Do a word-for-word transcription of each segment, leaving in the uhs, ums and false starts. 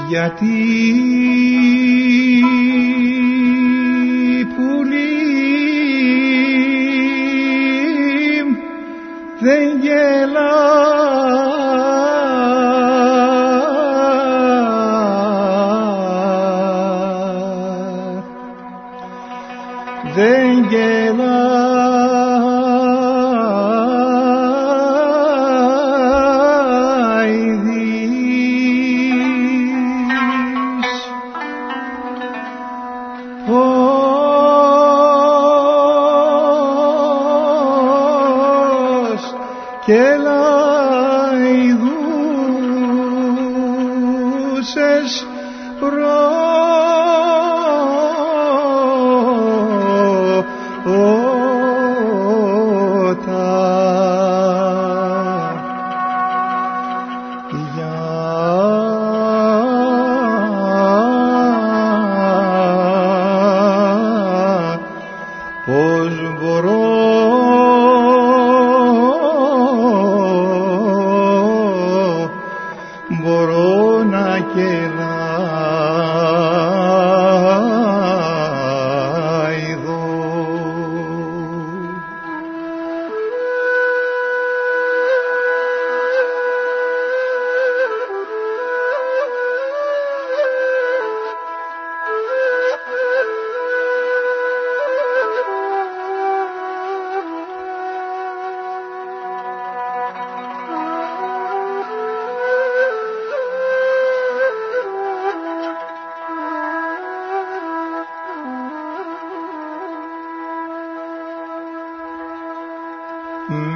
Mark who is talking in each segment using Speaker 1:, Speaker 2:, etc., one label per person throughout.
Speaker 1: γιατί πουλί δεν γελά, δεν γελά και λαϊδούσες πρώτα για πως μπορώ μπορώ να κελάιδω.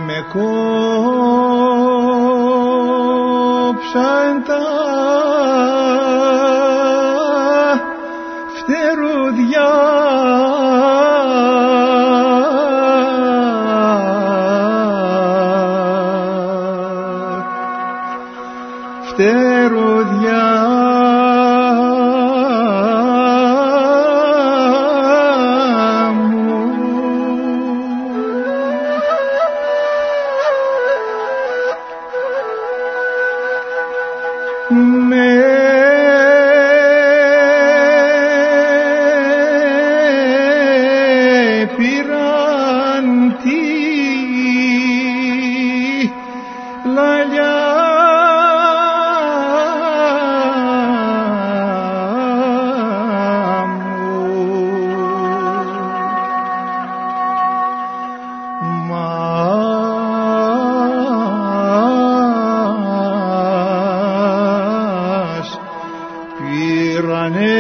Speaker 1: Με κόψαν τα φτερούδια φτερούδια με πήραν τη λαλιά πήρανε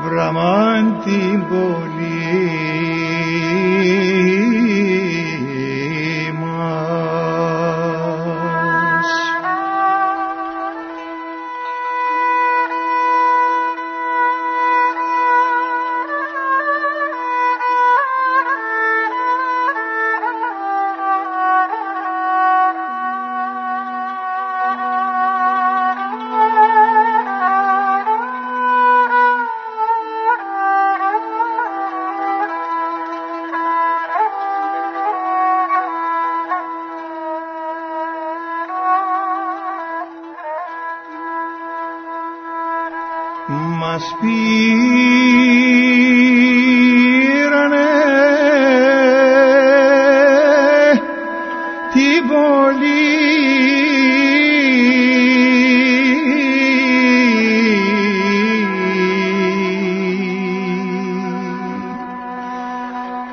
Speaker 1: βραμάν την πόλη μας. Μας πήρανε την πόλη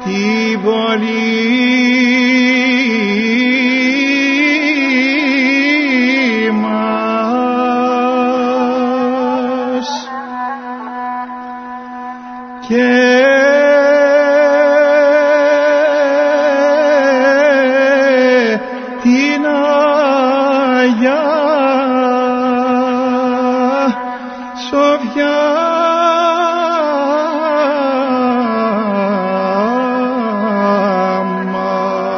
Speaker 1: την πόλη και την Αγιά Σοφιά μας.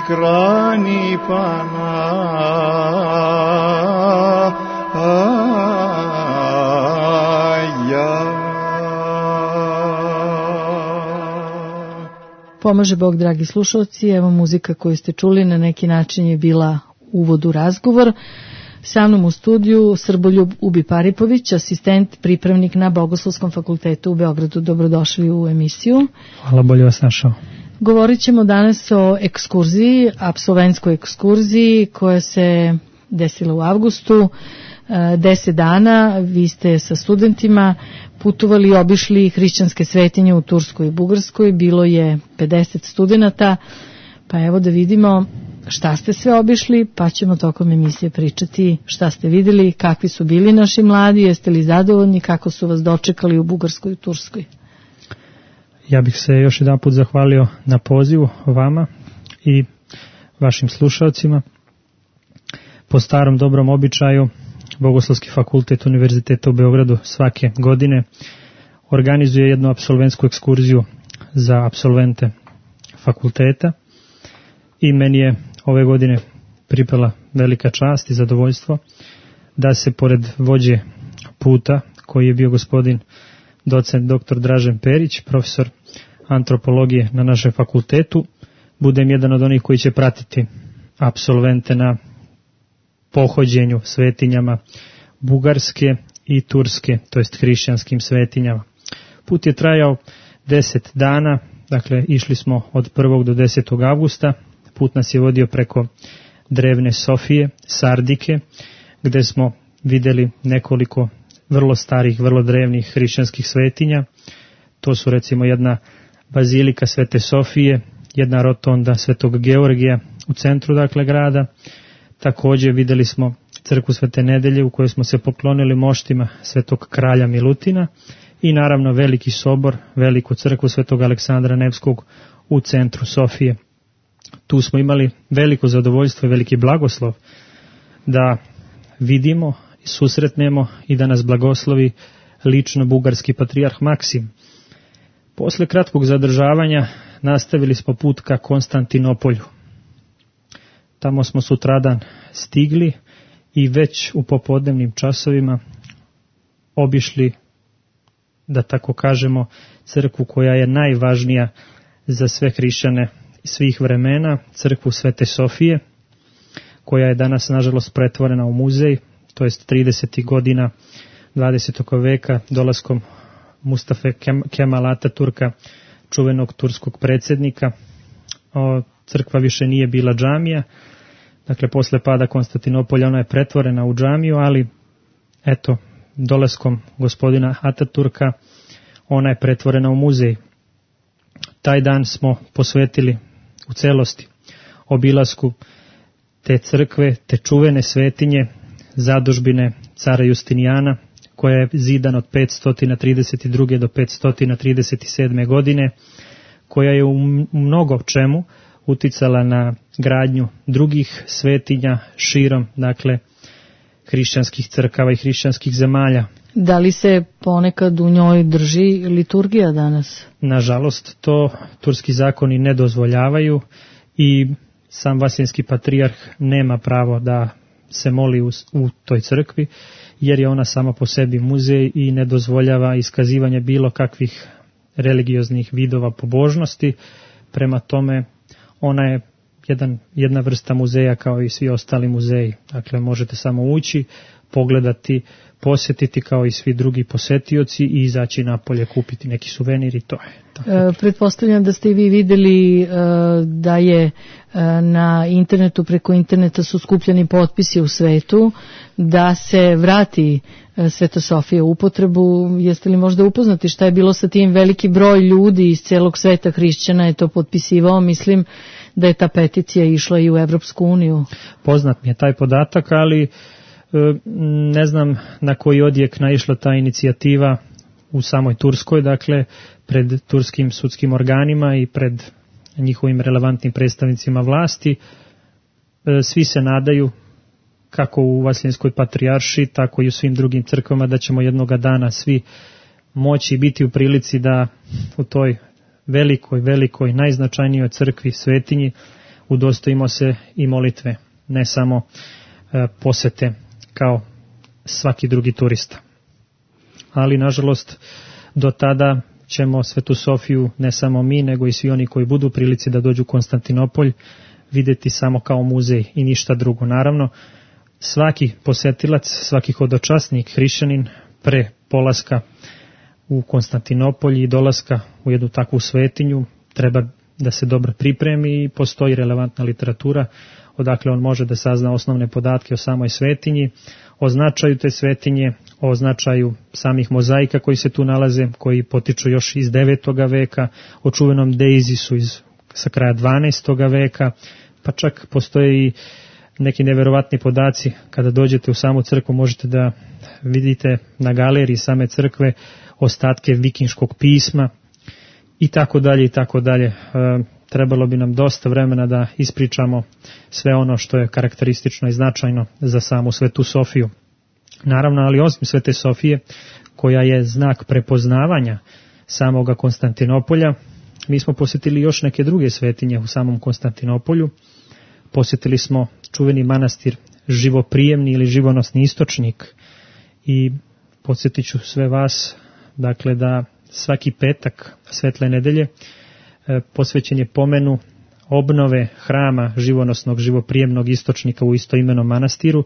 Speaker 1: grani pana ja.
Speaker 2: Pomaže Bog, dragi slušalci, evo muzika koju ste čuli na neki način je bila uvod u razgovor. Sa mnom u studiju Srboljub Ubi-Paripović, asistent, pripravnik na Bogoslovskom fakultetu u Beogradu. Dobrodošli u emisiju.
Speaker 3: Hvala, bolje vas našao.
Speaker 2: Govorit ćemo danas o ekskurziji, apsolventskoj ekskurziji koja se desila u avgustu. Deset dana vi ste sa studentima putovali i obišli hrišćanske svetinje u Turskoj i Bugarskoj. Bilo je pedeset studenata, pa evo da vidimo šta ste sve obišli, pa ćemo tokom emisije pričati šta ste vidjeli, kakvi su bili naši mladi, jeste li zadovoljni, kako su vas dočekali u Bugarskoj i Turskoj.
Speaker 3: Ja bih se još jedan put zahvalio na pozivu vama i vašim slušalcima. Po starom dobrom običaju, Bogoslovski fakultet Univerziteta u Beogradu svake godine organizuje jednu apsolventsku ekskurziju za apsolvente fakulteta i meni je ove godine pripala velika čast i zadovoljstvo da se pored vođe puta, koji je bio gospodin docent doktor Dražen Perić, profesor antropologije na našem fakultetu, budem jedan od onih koji će pratiti apsolvente na pohođenju svetinjama bugarske i turske, to jest hrišćanskim svetinjama. Put je trajao deset dana, dakle išli smo od prvog do desetog avgusta. Put nas je vodio preko drevne Sofije, Sardike, gde smo vidjeli nekoliko vrlo starih, vrlo drevnih hrišćanskih svetinja. To su recimo jedna bazilika Svete Sofije, jedna rotonda Svetog Georgija u centru dakle grada. Također vidjeli smo crkvu Svete Nedelje u kojoj smo se poklonili moštima Svetog kralja Milutina i naravno veliki sobor, veliku crkvu Svetog Aleksandra Nevskog u centru Sofije. Tu smo imali veliko zadovoljstvo i veliki blagoslov da vidimo, susretnemo i da nas blagoslovi lično bugarski patrijarh Maksim. Posle kratkog zadržavanja nastavili smo put ka Konstantinopolju. Tamo smo sutradan stigli i već u popodnevnim časovima obišli, da tako kažemo, crkvu koja je najvažnija za sve hrišćane svih vremena, crkvu Svete Sofije, koja je danas nažalost pretvorena u muzej, to jest tridesetih godina dvadesetog veka dolaskom Mustafe Kemal Ataturka, čuvenog turskog predsjednika. O, crkva više nije bila džamija, dakle posle pada Konstantinopolja ona je pretvorena u džamiju, ali eto, dolaskom gospodina Ataturka ona je pretvorena u muzej. Taj dan smo posvetili u celosti obilasku te crkve, te čuvene svetinje, zadužbine cara Justinijana, koja je zidan od petsto trideset druge do petsto trideset sedme godine, koja je u mnogo čemu uticala na gradnju drugih svetinja širom, dakle, hrišćanskih crkava i hrišćanskih zemalja.
Speaker 2: Da li se ponekad u njoj drži liturgija danas?
Speaker 3: Nažalost, to turski zakoni ne dozvoljavaju i sam Vaseljenski patrijarh nema pravo da se moli u, u toj crkvi, jer je ona sama po sebi muzej i ne dozvoljava iskazivanje bilo kakvih religioznih vidova pobožnosti. Prema tome, ona je jedan, jedna vrsta muzeja kao i svi ostali muzeji. Dakle, možete samo ući, pogledati, posjetiti kao i svi drugi posetioci i izaći napolje, kupiti neki suvenir i to je. Tako.
Speaker 2: E, pretpostavljam da ste i vi vidjeli e, da je e, na internetu, preko interneta su skupljeni potpisi u svetu da se vrati e, Sveta Sofija u upotrebu. Jeste li možda upoznati šta je bilo sa tim? Veliki broj ljudi iz celog sveta hrišćana je to potpisivao. Mislim da je ta peticija išla i u Evropsku uniju.
Speaker 3: Poznat mi je taj podatak, ali ne znam na koji odjek naišla ta inicijativa u samoj Turskoj, dakle pred turskim sudskim organima i pred njihovim relevantnim predstavnicima vlasti. Svi se nadaju, kako u Vaseljenskoj patrijaršiji, tako i u svim drugim crkvama, da ćemo jednoga dana svi moći biti u prilici da u toj velikoj, velikoj, najznačajnijoj crkvi, svetinji, udostojimo se i molitve, ne samo posete kao svaki drugi turista. Ali nažalost do tada ćemo Svetu Sofiju, ne samo mi, nego i svi oni koji budu u prilici da dođu u Konstantinopolj, vidjeti samo kao muzej i ništa drugo. Naravno, svaki posetilac, svaki hodočasnik, hrišćanin pre polaska u Konstantinopolj i dolaska u jednu takvu svetinju treba da se dobro pripremi i postoji relevantna literatura odakle on može da sazna osnovne podatke o samoj svetinji, o značaju te svetinje, o značaju samih mozaika koji se tu nalaze, koji potiču još iz devetoga veka, o čuvenom Deizisu iz, sa kraja dvanaestoga veka, pa čak postoje i neki neverovatni podaci. Kada dođete u samu crkvu možete da vidite na galeriji same crkve ostatke vikinškog pisma i tako dalje i tako dalje. E, trebalo bi nam dosta vremena da ispričamo sve ono što je karakteristično i značajno za samu Svetu Sofiju. Naravno, ali osim Svete Sofije, koja je znak prepoznavanja samoga Konstantinopolja, mi smo posjetili još neke druge svetinje u samom Konstantinopolju. Posjetili smo čuveni manastir Živoprijemni ili Živonosni istočnik i podsjetit ću sve vas, dakle, da svaki petak Svetle nedelje posvećen je pomenu obnove hrama Živonosnog Živoprijemnog istočnika u istoimenom manastiru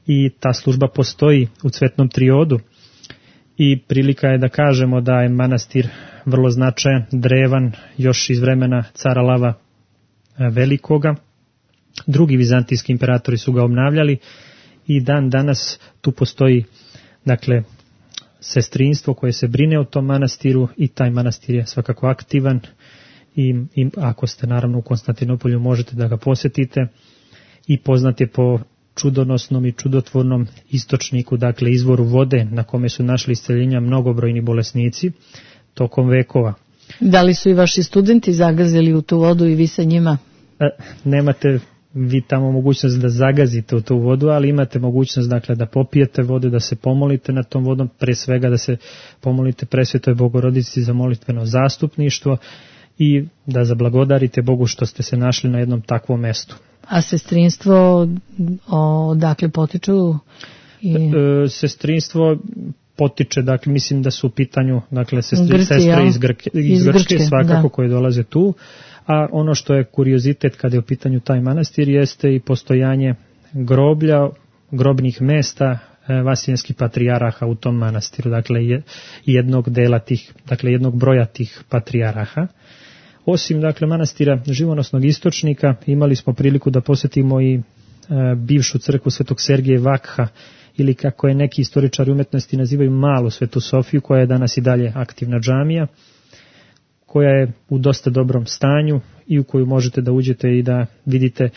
Speaker 3: i ta služba postoji u Cvetnom triodu i prilika je da kažemo da je manastir vrlo značajan, drevan, još iz vremena cara Lava Velikoga. Drugi vizantijski imperatori su ga obnavljali i dan danas tu postoji, dakle, sestrinstvo koje se brine o tom manastiru i taj manastir je svakako aktivan i, i ako ste naravno u Konstantinopolju možete da ga posjetite i poznat je po čudonosnom i čudotvornom istočniku, dakle izvoru vode na kome su našli isceljenja mnogobrojni bolesnici tokom vekova.
Speaker 2: Da li su i vaši studenti zagazili u tu vodu i vi sa njima?
Speaker 3: E, nemate vi tamo mogućnost da zagazite u tu vodu, ali imate mogućnost, dakle, da popijete vodu, da se pomolite nad tom vodom, pre svega da se pomolite Presvetoj Bogorodici za molitveno zastupništvo i da zablagodarite Bogu što ste se našli na jednom takvom mestu.
Speaker 2: A sestrinstvo odakle potiču? I...
Speaker 3: E, sestrinstvo potiče, dakle, mislim da su u pitanju, dakle, sestri,
Speaker 2: Grci,
Speaker 3: sestre
Speaker 2: ja?
Speaker 3: iz, Grke, iz,
Speaker 2: iz
Speaker 3: Grčke,
Speaker 2: Grčke,
Speaker 3: svakako,
Speaker 2: da.
Speaker 3: koje dolaze tu. A ono što je kuriozitet kada je u pitanju taj manastir jeste i postojanje groblja, grobnih mesta vasiljanskih patrijaraha u tom manastiru, dakle jednog dela tih, dakle jednog broja tih patrijaraha. Osim, dakle, manastira Živonosnog istočnika imali smo priliku da posjetimo i e, bivšu crkvu Svetog Sergeja Vakha, ili kako je neki istoričari umetnosti nazivaju malu Svetu Sofiju, koja je danas i dalje aktivna džamija, koja je u dosta dobrom stanju i u koju možete da uđete i da vidite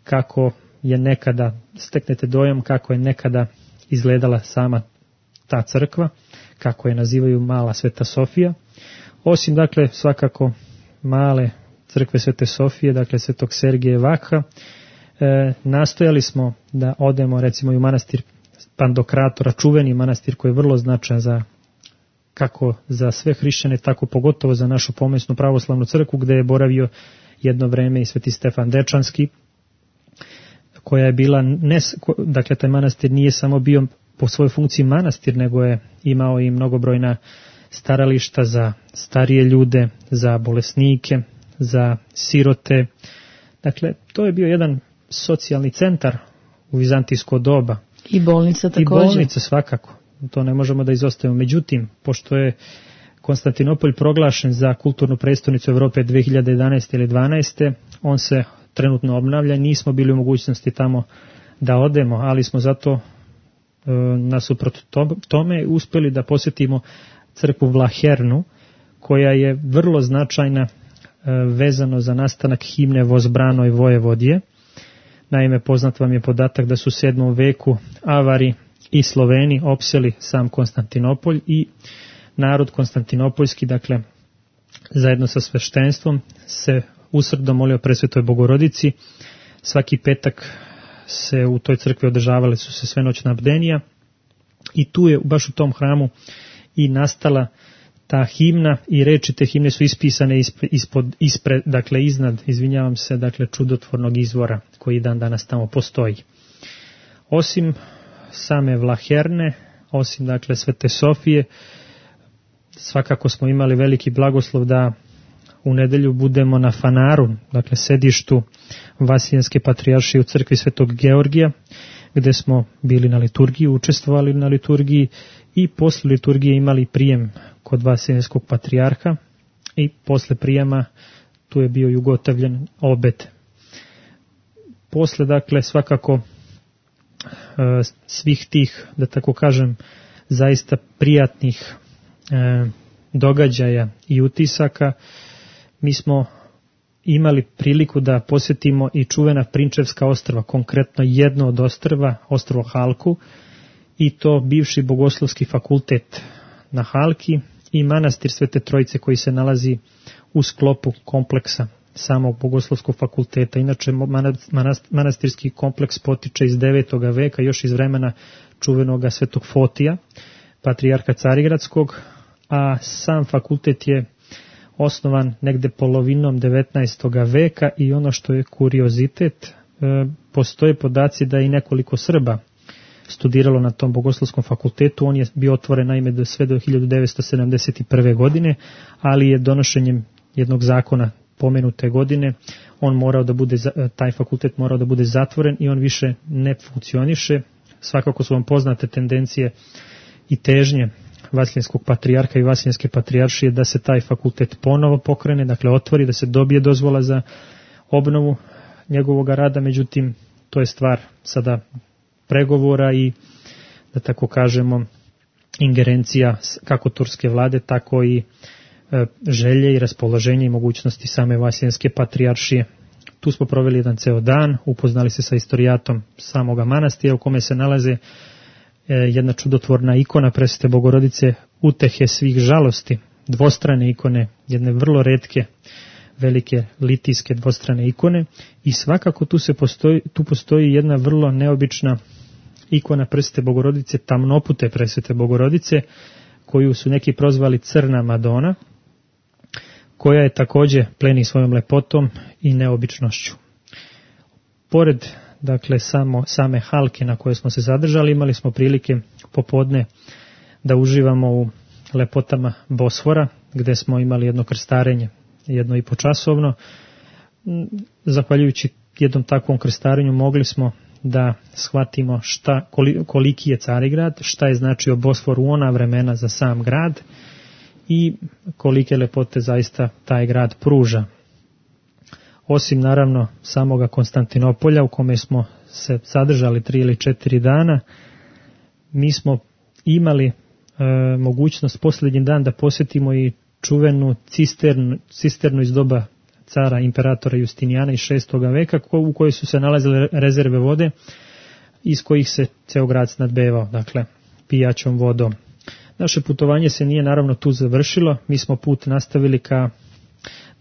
Speaker 3: kako je nekada, steknete dojam kako je nekada izgledala sama ta crkva, kako je nazivaju mala Sveta Sofija. Osim, dakle, svakako male crkve Svete Sofije, dakle Svetog Sergeja Vakha, e, nastojali smo da odemo recimo i u manastir Pandokratora, čuveni manastir koji je vrlo značajan za kako za sve hrišćane, tako pogotovo za našu pomesnu pravoslavnu crkvu, gde je boravio jedno vreme i Sveti Stefan Dečanski, koja je bila, ne, dakle taj manastir nije samo bio po svojoj funkciji manastir, nego je imao i mnogobrojna starališta za starije ljude, za bolesnike, za sirote. Dakle, to je bio jedan socijalni centar u vizantijsko doba.
Speaker 2: I bolnica također.
Speaker 3: I bolnica svakako. To ne možemo da izostavimo. Međutim, pošto je Konstantinopolj proglašen za kulturnu prestonicu Evrope dve hiljade jedanaeste ili dvanaeste. on se trenutno obnavlja, nismo bili u mogućnosti tamo da odemo, ali smo zato e, nasuprot tome uspjeli da posjetimo crkvu Vlahernu, koja je vrlo značajna e, vezano za nastanak himne Vozbranoj Vojevodije. Naime, poznat vam je podatak da su u sedmom veku Avari i Sloveni opseli sam Konstantinopolj i narod konstantinopoljski, dakle, zajedno sa sveštenstvom se usrdno molio Presvetoj Bogorodici. Svaki petak se u toj crkvi održavale su se svenoćna bdenija i tu je baš u tom hramu i nastala ta himna i reči te himne su ispisane ispod, ispred, dakle iznad, izvinjavam se, dakle čudotvornog izvora koji dan danas tamo postoji. Osim same Vlaherne, osim dakle Svete Sofije, svakako smo imali veliki blagoslov da u nedelju budemo na Fanaru, dakle sedištu Vasiljanske patrijaršije u crkvi Svetog Georgija, gde smo bili na liturgiji, učestvovali na liturgiji i posle liturgije imali prijem kod Vasiljanskog patrijarha i posle prijema tu je bio i ugotavljen obed. Posle dakle svakako svih tih, da tako kažem, zaista prijatnih događaja i utisaka, mi smo imali priliku da posjetimo i čuvena Prinčevska ostrva, konkretno jedno od ostrva, ostrvo Halku, i to bivši bogoslovski fakultet na Halki i manastir Svete Trojice koji se nalazi u sklopu kompleksa samog bogoslovskog fakulteta. Inače, manastirski kompleks potiče iz devetog veka, još iz vremena čuvenoga Svetog Fotija, patrijarha Carigradskog, a sam fakultet je osnovan negde polovinom devetnaestog veka i ono što je kuriozitet, postoje podaci da je i nekoliko Srba studiralo na tom bogoslovskom fakultetu. On je bio otvoren naime do sve do hiljadu devetsto sedamdeset prve. godine, ali je donošenjem jednog zakona pomenute godine on morao da bude, taj fakultet morao da bude zatvoren i on više ne funkcioniše. Svakako su vam poznate tendencije i težnje Vasiljanskog patrijarha i Vasiljanske patrijaršije da se taj fakultet ponovo pokrene, dakle otvori, da se dobije dozvola za obnovu njegovog rada, međutim to je stvar sada pregovora i, da tako kažemo, ingerencija kako turske vlade, tako i e, želje i raspoloženje i mogućnosti same Vasiljanske patrijaršije. Tu smo proveli jedan ceo dan, upoznali se sa istorijatom samoga manastira u kome se nalaze e, jedna čudotvorna ikona Presvete Bogorodice, utehe svih žalosti, dvostrane ikone, jedne vrlo retke velike litijske dvostrane ikone, i svakako tu se postoji, tu postoji jedna vrlo neobična ikona Presvete Bogorodice, tamnopute Presvete Bogorodice, koju su neki prozvali Crna Madona, koja je takođe pleni svojom lepotom i neobičnošću. Pored dakle samo same Halke na kojoj smo se zadržali, imali smo prilike popodne da uživamo u lepotama Bosfora, gde smo imali jedno krstarenje, jedno i po časovno. Zahvaljujući jednom takvom krstarenju mogli smo da shvatimo šta, koliki je Carigrad, šta je značio Bosfor u ona vremena za sam grad i kolike lepote zaista taj grad pruža. Osim naravno samoga Konstantinopolja u kome smo se zadržali tri ili četiri dana, mi smo imali e, mogućnost posljednji dan da posjetimo i čuvenu cisternu, cisternu iz doba cara imperatora Justinijana iz šestog veka u kojoj su se nalazile rezerve vode iz kojih se ceo grad snadbevao, dakle pijaćom vodom. Naše putovanje se nije naravno tu završilo, mi smo put nastavili ka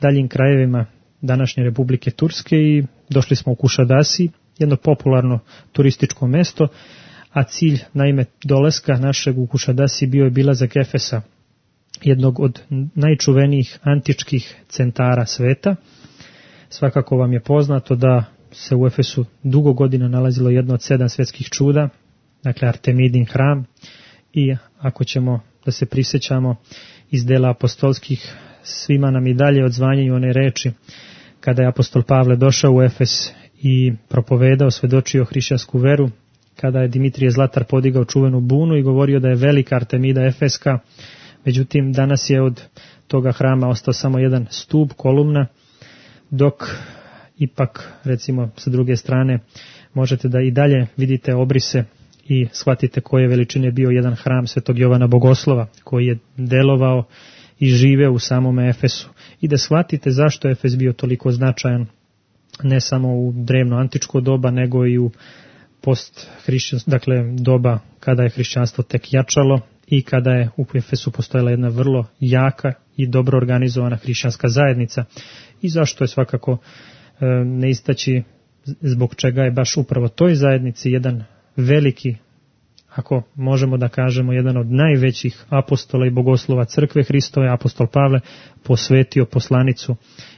Speaker 3: daljim krajevima današnje Republike Turske i došli smo u Kušadasi, jedno popularno turističko mesto, a cilj naime dolaska našeg u Kušadasi bio je bilazak Efesa, jednog od najčuvenijih antičkih centara sveta. Svakako vam je poznato da se u Efesu dugo godina nalazilo jedno od sedam svjetskih čuda, dakle Artemidin hram, i ako ćemo da se prisjećamo iz dela apostolskih, svima nam i dalje odzvanjaju one reči kada je apostol Pavle došao u Efes i propovedao, svedočio hrišćansku veru, kada je Dimitrije Zlatar podigao čuvenu bunu i govorio da je velika Artemida Efeska. Međutim, danas je od toga hrama ostao samo jedan stup, kolumna, dok ipak, recimo, sa druge strane, možete da i dalje vidite obrise i shvatite koje veličine bio jedan hram Svetog Jovana Bogoslova, koji je delovao i živeo u samome Efesu. I da shvatite zašto je Efes bio toliko značajan, ne samo u drevno antičko doba, nego i u post hrišćanstvo, dakle doba kada je hrišćanstvo tek jačalo i kada je u Efesu postojala jedna vrlo jaka i dobro organizovana hrišćanska zajednica. I zašto je svakako e, ne istaći zbog čega je baš upravo toj zajednici jedan veliki ako možemo da kažemo, jedan od najvećih apostola i bogoslova crkve Hristove, apostol Pavle, posvetio poslanicu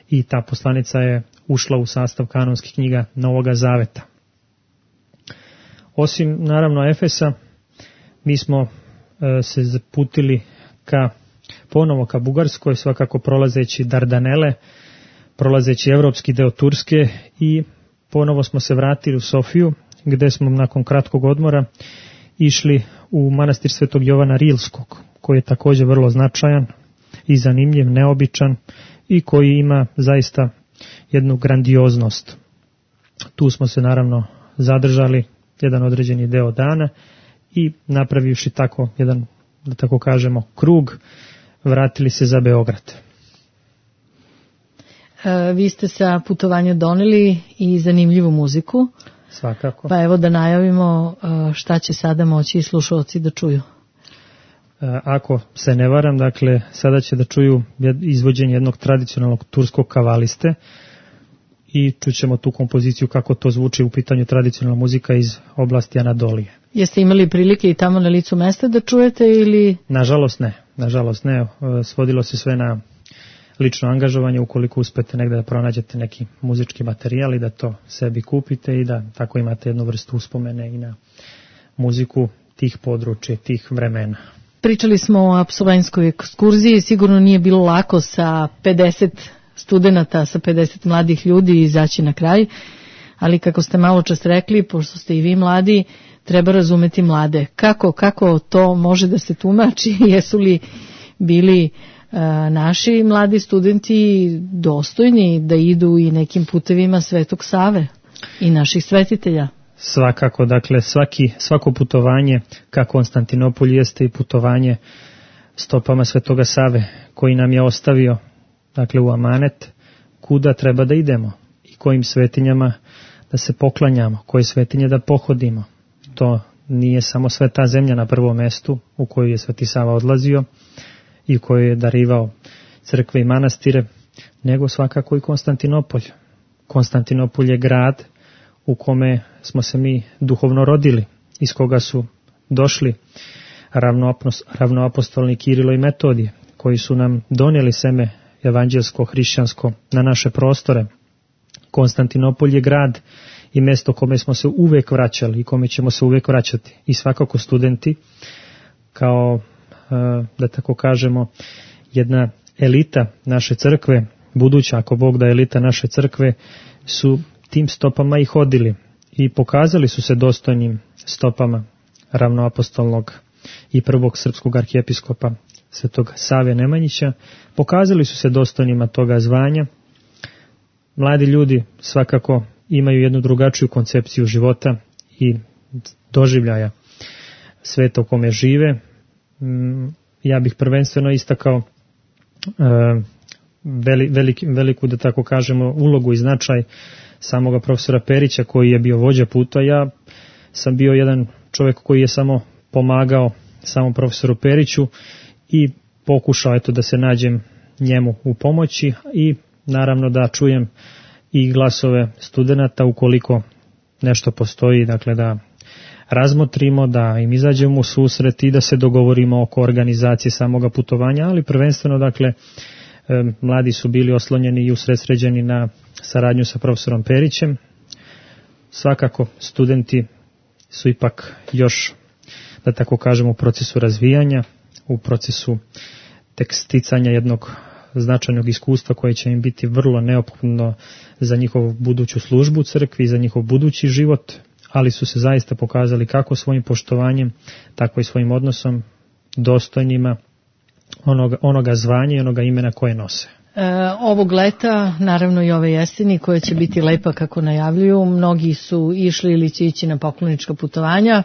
Speaker 3: i ta poslanica je ušla u sastav kanonskih knjiga Novoga Zaveta. Osim, naravno, Efesa, mi smo e, se zaputili ka, ponovo ka Bugarskoj, svakako prolazeći Dardanele, prolazeći evropski deo Turske i ponovo smo se vratili u Sofiju, gde smo nakon kratkog odmora išli u manastir Svetog Jovana Rilskog, koji je također vrlo značajan i zanimljiv, neobičan i koji ima zaista jednu grandioznost. Tu smo se naravno zadržali jedan određeni deo dana i napravivši tako jedan, da tako kažemo, krug, vratili se za Beograd.
Speaker 2: E, vi ste sa putovanja doneli i zanimljivu muziku.
Speaker 3: Svakako.
Speaker 2: Pa evo da najavimo šta će sada moći i slušalci da čuju.
Speaker 3: Ako se ne varam, dakle, sada će da čuju izvođenje jednog tradicionalnog turskog kavaliste i čućemo tu kompoziciju kako to zvuči u pitanju tradicionalna muzika iz oblasti Anadolije.
Speaker 2: Jeste imali prilike i tamo na licu mesta da čujete ili?
Speaker 3: Nažalost ne, nažalost ne. Svodilo se sve na lično angažovanje, ukoliko uspete negde da pronađete neki muzički materijal i da to sebi kupite i da tako imate jednu vrstu uspomene i na muziku tih područja, tih vremena.
Speaker 2: Pričali smo o apsolventskoj ekskurziji, sigurno nije bilo lako sa pedeset studenata, sa pedeset mladih ljudi izaći na kraj, ali kako ste malo čas rekli, pošto ste i vi mladi, treba razumeti mlade. Kako, kako to može da se tumači? Jesu li bili naši mladi studenti dostojni da idu i nekim putevima Svetog Save i naših svetitelja?
Speaker 3: Svakako, dakle, svaki, svako putovanje ka Konstantinopolju jeste i putovanje stopama Svetoga Save koji nam je ostavio, dakle, u amanet kuda treba da idemo i kojim svetinjama da se poklanjamo, koje svetinje da pohodimo. To nije samo Sveta zemlja na prvom mestu u koju je Sveti Sava odlazio i u kojoj je darivao crkve i manastire, nego svakako i Konstantinopolj. Konstantinopolj je grad u kome smo se mi duhovno rodili, iz koga su došli ravnoapostolni Kirilo i Metodije, koji su nam donijeli seme evanđelsko, hrišćansko na naše prostore. Konstantinopolj je grad i mesto kome smo se uvek vraćali i kome ćemo se uvek vraćati. I svakako studenti, kao, da tako kažemo, jedna elita naše crkve, buduća, ako Bog da, elita naše crkve, su tim stopama i hodili i pokazali su se dostojnim stopama ravnoapostolnog i prvog srpskog arhijepiskopa Svetog Save Nemanjića, pokazali su se dostojnima toga zvanja. Mladi ljudi svakako imaju jednu drugačiju koncepciju života i doživljaja sveta u kome žive. Ja bih prvenstveno istakao velik, veliku, da tako kažemo, ulogu i značaj samoga profesora Perića, koji je bio vođa puta. Ja sam bio jedan čovjek koji je samo pomagao samom profesoru Periću i pokušao eto da se nađem njemu u pomoći i naravno da čujem i glasove studenata ukoliko nešto postoji, dakle da razmotrimo, da im izađemo u susret i da se dogovorimo oko organizacije samoga putovanja, ali prvenstveno, dakle, mladi su bili oslonjeni i usredsređeni na saradnju sa profesorom Perićem. Svakako studenti su ipak još, da tako kažemo, u procesu razvijanja, u procesu tek sticanja jednog značajnog iskustva koje će im biti vrlo neophodno za njihovu buduću službu u crkvi i za njihov budući život, ali su se zaista pokazali kako svojim poštovanjem, tako i svojim odnosom dostojnima onoga, onoga zvanja i onoga imena koje nose.
Speaker 2: E, ovog leta, naravno i ove jeseni, koje će biti lepa kako najavljuju, mnogi su išli ili će ići na poklonička putovanja.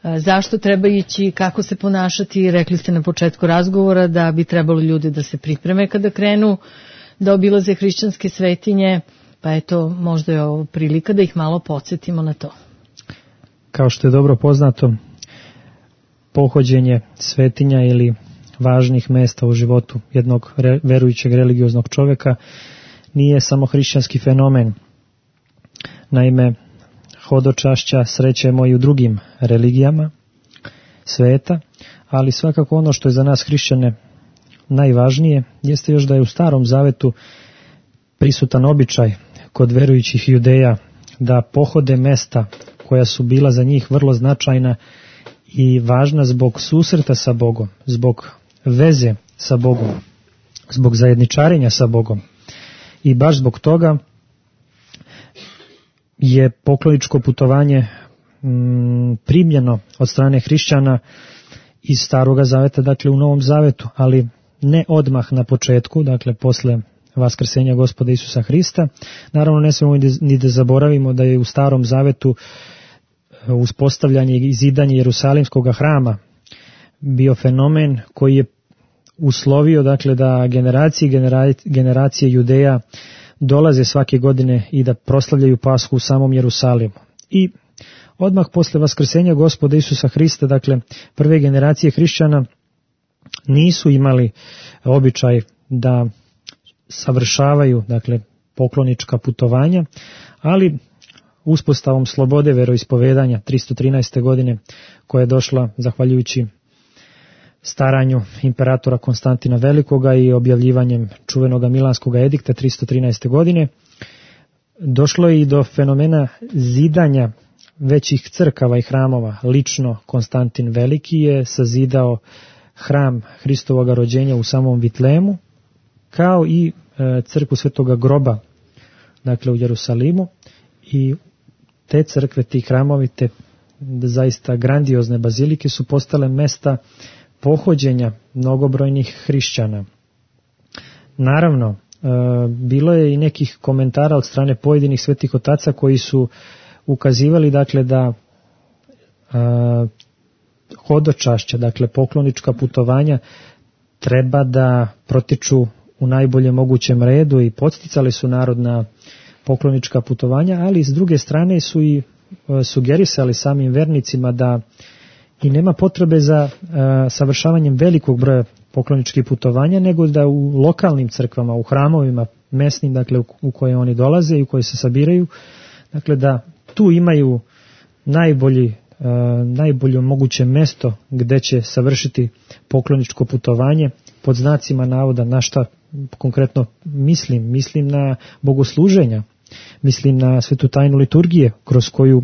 Speaker 2: E, zašto treba ići, kako se ponašati? Rekli ste na početku razgovora da bi trebalo ljudi da se pripreme kada krenu, da obilaze hrišćanske svetinje, pa eto, možda je ovo prilika da ih malo podsjetimo na to.
Speaker 3: Kao što je dobro poznato, pohođenje svetinja ili važnih mesta u životu jednog verujućeg religioznog čovjeka nije samo hrišćanski fenomen. Naime, hodočašća srećemo i u drugim religijama sveta, ali svakako ono što je za nas hrišćane najvažnije jeste još da je u Starom Zavetu prisutan običaj kod verujućih Judeja da pohode mesta koja su bila za njih vrlo značajna i važna zbog susreta sa Bogom, zbog veze sa Bogom, zbog zajedničarenja sa Bogom. I baš zbog toga je pokloničko putovanje mm, primljeno od strane hrišćana iz Staroga Zaveta, dakle u Novom Zavetu, ali ne odmah na početku, dakle posle vaskrsenja Gospoda Isusa Hrista. Naravno ne smemo ni da zaboravimo da je u Starom Zavetu uspostavljanje i zidanje Jerusalimskog hrama bio fenomen koji je uslovio dakle da generacije genera, generacije Judeja dolaze svake godine i da proslavljaju Pashu u samom Jerusalimu. I odmah posle vaskrsenja Gospoda Isusa Hrista, dakle prve generacije hrišćana nisu imali običaj da savršavaju dakle poklonička putovanja, ali uspostavom slobode veroispovedanja tristo trinaeste. godine koja je došla zahvaljujući staranju imperatora Konstantina Velikoga i objavljivanjem čuvenog Milanskog edikta tristo trinaeste. godine, došlo je i do fenomena zidanja većih crkava i hramova. Lično Konstantin Veliki je sazidao hram Hristovoga rođenja u samom Vitlemu, kao i e, crkvu Svetoga groba, dakle u Jerusalimu, i te crkve, ti hramovi, te zaista grandiozne bazilike su postale mesta pohođenja mnogobrojnih hrišćana. Naravno, e, bilo je i nekih komentara od strane pojedinih svetih otaca koji su ukazivali dakle da e, hodočašća, dakle poklonička putovanja treba da protiču u najboljem mogućem redu i podsticali su narod na poklonička putovanja, ali s druge strane su i sugerisali samim vernicima da i nema potrebe za uh, savršavanjem velikog broja pokloničkih putovanja, nego da u lokalnim crkvama, u hramovima mesnim, dakle u, u koje oni dolaze i u koje se sabiraju, dakle da tu imaju najbolji Uh, najbolje moguće mesto gde će savršiti pokloničko putovanje, pod znacima navoda. Na šta konkretno mislim? Mislim na bogosluženja, mislim na svetu tajnu liturgije, kroz koju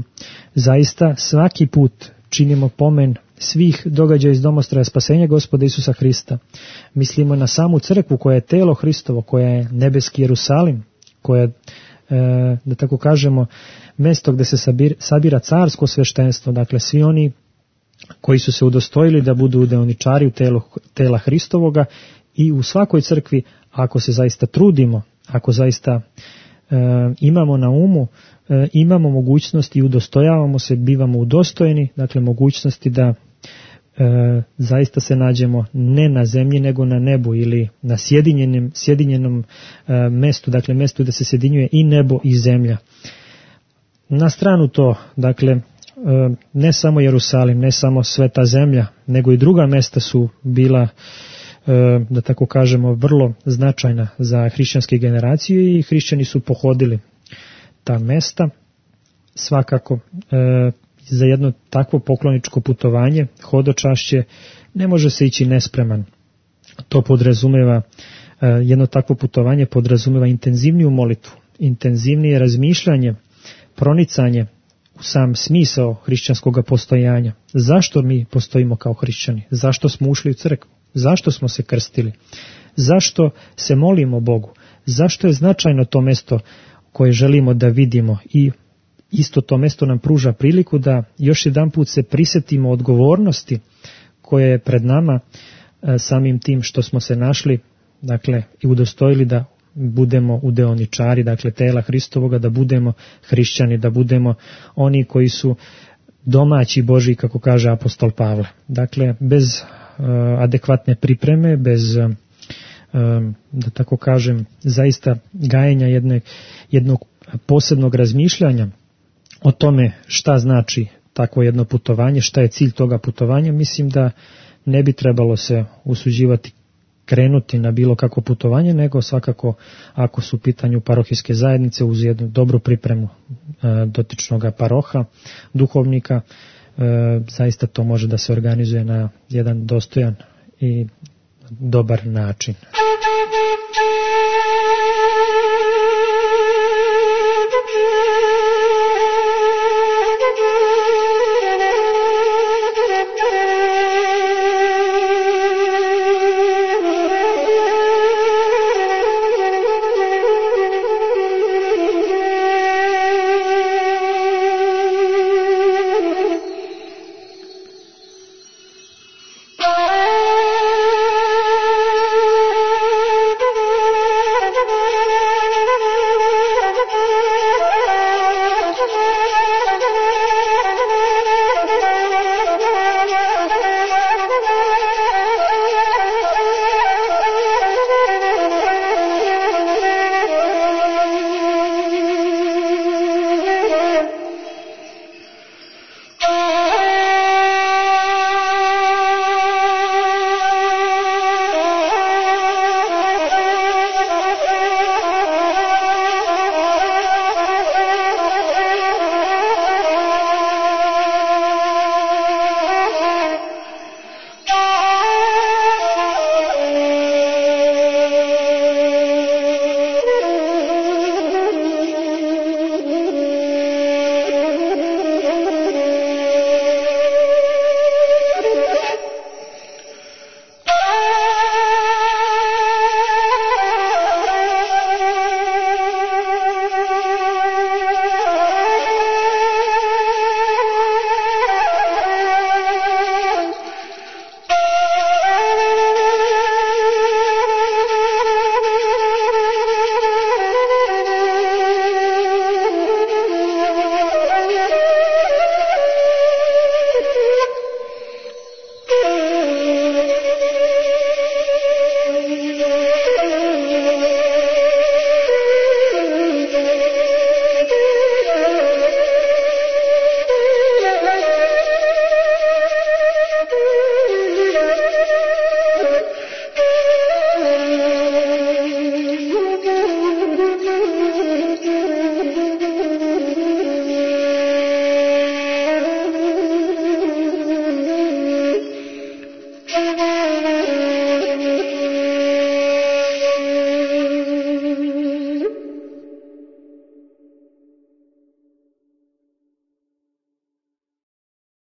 Speaker 3: zaista svaki put činimo pomen svih događaja iz domostraja spasenja Gospoda Isusa Hrista. Mislimo na samu crkvu koja je telo Hristovo, koja je nebeski Jerusalim, koja je, e, da tako kažemo, mesto gde se sabira, sabira carsko sveštenstvo, dakle svi oni koji su se udostojili da budu udeoničari u telu, tela Hristovoga, i u svakoj crkvi, ako se zaista trudimo, ako zaista e, imamo na umu, e, imamo mogućnosti i udostojavamo se, bivamo udostojeni, dakle mogućnosti da e, zaista se nađemo ne na zemlji nego na nebu ili na sjedinjenom, sjedinjenom e, mestu, dakle mestu da se sjedinjuje i nebo i zemlja. Na stranu to, dakle, ne samo Jerusalim, ne samo sveta zemlja, nego i druga mesta su bila, da tako kažemo, vrlo značajna za hrišćanske generacije i hrišćani su pohodili ta mesta. Svakako, za jedno takvo pokloničko putovanje, hodočašće, ne može se ići nespreman. To podrazumeva, jedno takvo putovanje podrazumeva intenzivniju molitvu, intenzivnije razmišljanje, pronicanje u sam smisao hrišćanskog postojanja. Zašto mi postojimo kao hrišćani? Zašto smo ušli u crkvu? Zašto smo se krstili? Zašto se molimo Bogu? Zašto je značajno to mesto koje želimo da vidimo? I isto to mesto nam pruža priliku da još jedan put se prisetimo odgovornosti koje je pred nama samim tim što smo se našli, dakle, i udostojili da budemo udeoničari, dakle tela Hristovoga, da budemo hrišćani, da budemo oni koji su domaći Božji, kako kaže apostol Pavle. Dakle, bez uh, adekvatne pripreme, bez, uh, da tako kažem, zaista gajenja jedne, jednog posebnog razmišljanja o tome šta znači takvo jedno putovanje, šta je cilj toga putovanja, mislim da ne bi trebalo se usuđivati krenuti na bilo kako putovanje, nego svakako ako su u pitanju parohijske zajednice uz jednu dobru pripremu e, dotičnog paroha, duhovnika, zaista to može da se organizuje na jedan dostojan i dobar način.